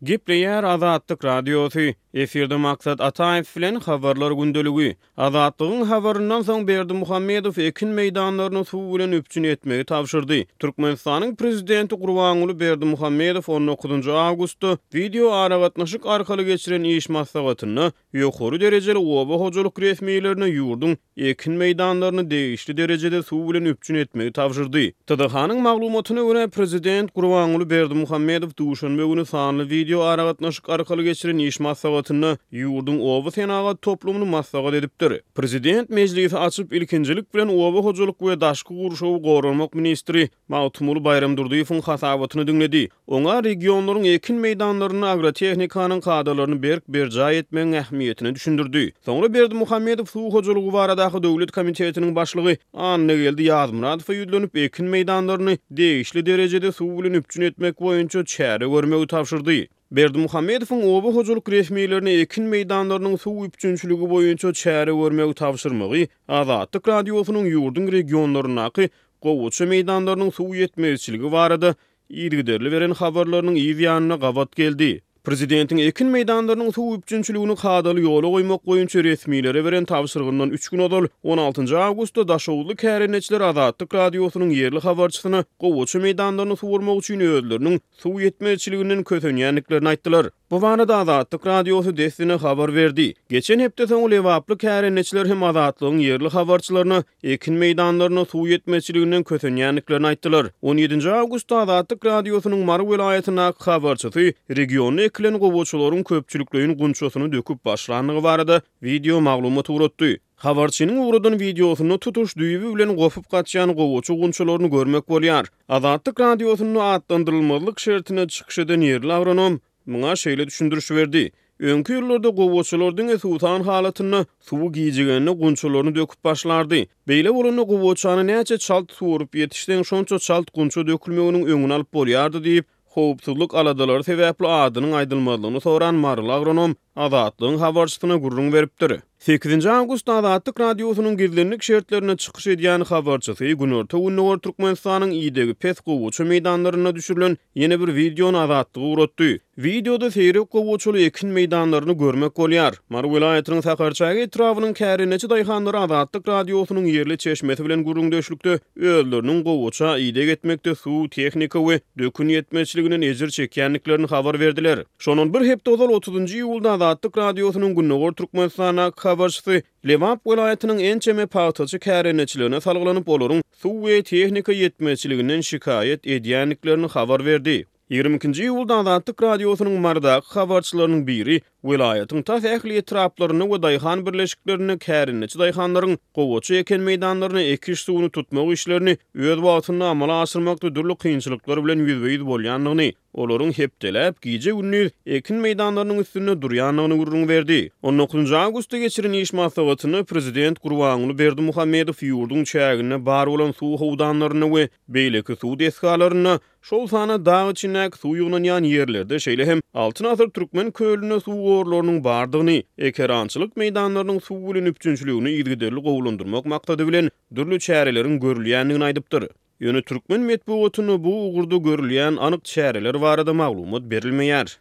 Gepleýär Azatlyk Radiosy, Efirde Maksat Ataýew bilen Habarlar gündeligi. Azatlygyň habaryndan soň Berdimuhamedow ekin meýdanlaryny suw bilen üpjün etmegi tabşyrdy. Türkmenistanyň prezidenti Gurbanguly Berdimuhamedow on dokuzynjy awgustda wideo aragatnaşyk arkaly geçiren iş maslahatynda Ýokary derejeli oba hojalyk resmilerine ýurduň ekin meýdanlaryny degişli derejede suw bilen üpjün etmegi tabşyrdy. TDH-nyň maglumatyna görä, prezident Gurbanguly Berdimuhamedow duşenbe güni sanly wideo aragatnaşyk arkaly geçiren iş maslahatynda ýurduň oba senagat toplumyny maslahat edipdir. Prezident mejlisi açyp, ilkinjilik bilen oba hojalyk we daşky gurşawy goramak ministri Magtymguly Baýramdurdyýewiň hasabatyny diňledi. Oňa regionlaryň ekin meýdanlarynda agrotehnikanyň kadalaryny berk berjaý etmegiň ähmiýetini düşündirdi. Soňra Berdimuhamedow Suw hojalygy baradaky döwlet komitetiniň başlygy Annageldi Ýazmyradowa ýüzlenip, ekin meýdanlaryny degişli derejede suw bilen üpjün etmek boýunça çäre görmegi tabşyrdy. Berdimuhamedowyň oba hojalyk resmilerine ekin meýdanlarynyň suw üpjünçiligi boýunça çäre görmegi tabşyrmagy Azatlyk Radiosynyň ýurduň regionlaryndaky gowaça meýdanlarynyň suw ýetmezçiligi barada yzygiderli beren habarlarynyň yz ýanyna gabat geldi. Prezidentiň ekin meýdanlarynyň suw üpjünçiligini kadaly ýola goýmak boýunça resmilere beren tabşyrygyndan üç gün ozal, on altynjy awgustda daşoguzly kärendeçiler Azatlyk Radiosynyň ýerli habarçysyna gowaça meýdanlaryny suwarmak üçin özleriniň suw ýetmezçiliginden kösenýändiklerini aýtdylar. Bu barada Azatlyk Radiosy dessine habar berdi. Geçen hepde soňy lebaply kärendeçiler hem Azatlygyň ýerli habarçylaryna ekin meýdanlaryna suw ýetmezçiliginden kösenýändiklerini aýtdylar. On ýedinji awgustda Azatlyk Radiosynyň Mary welaýatyndaky habarçysy regionda ekilen gowaçalaryň köpçülikleýin gunçasyny döküp başlandygy barada wideo maglumat ugratdy. Habarçynyň ugradan wideosynda tutuş düýbi bilen gopup gaçýan gowaça gunçalaryny görmek bolýar. Azatlyk Radiosynda atlandyrylmazlyk şertinde çykyş eden ýerli agronom muňa şeýle düşündiriş berdi, Öňki ýyllarda gowaçalar diňe suwsan halatynda, suwy gijigende gunçalaryny döküp başlardy. Beýle bolanda gowaçany näçe çalt suwaryp ýetişseň, şonça çalt gunça dökülmeginiň öňüni alyp bolýardy diýip, howpsuzlyk aladalary sebäpli adynyň aýdylmazlygyny soran maryly agronom Azatlygyň habarçysyna gürrüň beripdir. Sekizinji awgustda Azatlyk Radiosynyň gizlinlik şertlerinde çykyş edýän habarçysy günorta-gündogar Türkmenistanyň idegi pes gowaça meýdanlarynda düşürilen ýene bir wideony Azatlyga ugratdy. Wideoda seýrek gowaçaly ekin meýdanlaryny görmek bolýar. Mary welaýatynyň Sakarçäge etrabynyň kärendeçi daýhanlary Azatlyk Radiosynyň ýerli çeşmesi bilen gürrüňdeşlikde özleriniň gowaça ideg etmekde suw, tehnika we dökün ýetmezçiliginden ejir çekýändiklerini habar berdiler. Şondan bir hepde ozal, otuzynjy iýulda Azatlyk Radiosynyň Gündogar Türkmenistandaky habarçysy Lebap welaýatynyň ençeme pagtaçy kärendeçilerine salgylanyp, olaryň suw we tehnika ýetmezçiliginden şikaýat edýändiklerini habar berdi. Ýigrimi ikinji iýulda Azatlyk Radiosynyň Marydaky habarçylarynyň biri welaýatyň tas ähli etraplarynda we daýhan birleşiklerinde kärendeçi daýhanlaryň gowaça eken meýdanlaryna ekiş suwuny tutmak işlerini öz wagtynda amala aşyrmakda dürli kynçylyklar bilen ýüzbe-ýüz bolýandygyny, olaryň hepdeläp, gije-gündiz ekin meýdanlarynyň üstünde durýandygyny gürrüň berdi. On dokuzynjy awgustda geçiren iş maslahatynda prezident Gurbanguly Berdimuhamedow ýurduň çäginde bar bolan suw howdanlarynda we beýleki suw desgalarynda Şol sanda dag içindäki suw ýygnanýan ýerlerde, şeýle hem Altyn asyr Türkmen kölünde suw gorlarynyň bardygyny, ekerançylyk meýdanlarynyň suw bilen üpjünçiligini yzygiderli gowulandyrmak maksady bilen dürli çäreleriň görülýändigini aýdypdyr. Ýöne türkmen metbugatynda bu ugurda görülýän anyk çäreler barada maglumat berilmeýär.